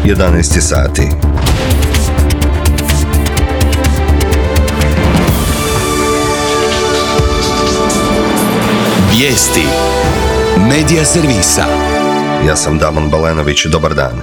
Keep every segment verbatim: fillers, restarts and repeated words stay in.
jedanaest je sati. Vijesti Medija servisa. Ja sam Damon Balenović, dobar dan.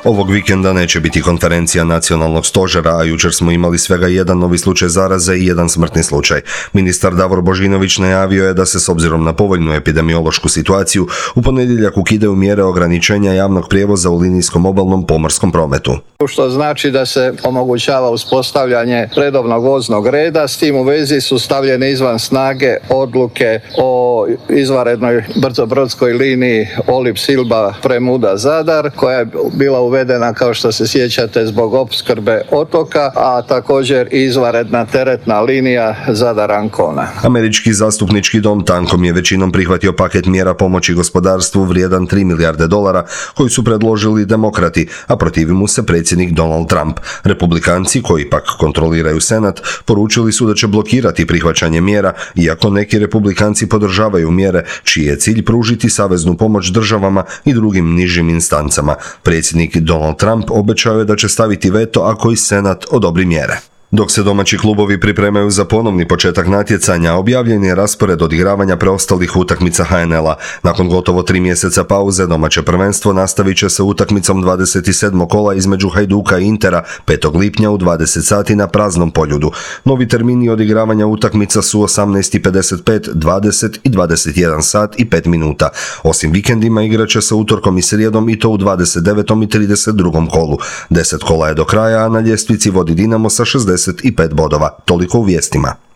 Ovog vikenda neće biti konferencija nacionalnog stožera, a jučer smo imali svega jedan novi slučaj zaraze i jedan smrtni slučaj. Ministar Davor Božinović najavio je da se s obzirom na povoljnu epidemiološku situaciju u ponedjeljak ukidaju mjere ograničenja javnog prijevoza u linijskom obalnom pomorskom prometu. Što znači da se omogućava uspostavljanje redovnog voznog reda, s tim u vezi su stavljene izvan snage odluke o izvanrednoj brzobrodskoj liniji Olib-Silba-Premuda-Zadar, koja je bila uvedena, kao što se sjećate, zbog opskrbe otoka, a također i izvanredna teretna linija Zadar-Ancona. Američki zastupnički dom tankom je većinom prihvatio paket mjera pomoći gospodarstvu vrijedan tri milijarde dolara koji su predložili demokrati, a protivi mu se predsjednik Donald Trump. Republikanci, koji pak kontroliraju Senat, poručili su da će blokirati prihvaćanje mjera, iako neki republikanci podržavaju mjere čiji je cilj pružiti saveznu pomoć državama i drugim nižim instancama. Predsjednik Donald Trump obećao je da će staviti veto ako i Senat odobri mjere. Dok se domaći klubovi pripremaju za ponovni početak natjecanja, objavljen je raspored odigravanja preostalih utakmica ha en el-a. Nakon gotovo tri mjeseca pauze, domaće prvenstvo nastavit će se utakmicom dvadeset sedmog kola između Hajduka i Intera petog lipnja u dvadeset sati na praznom Poljudu. Novi termini odigravanja utakmica su osamnaest i pedeset pet, dvadeset i dvadeset jedan sat i pet minuta. Osim vikendima igrat će se utorkom i srijedom i to u dvadeset devetom i trideset drugom kolu. deset kola je do kraja, a na ljestvici vodi Dinamo sa šezdeset i pet bodova. Toliko u vijestima.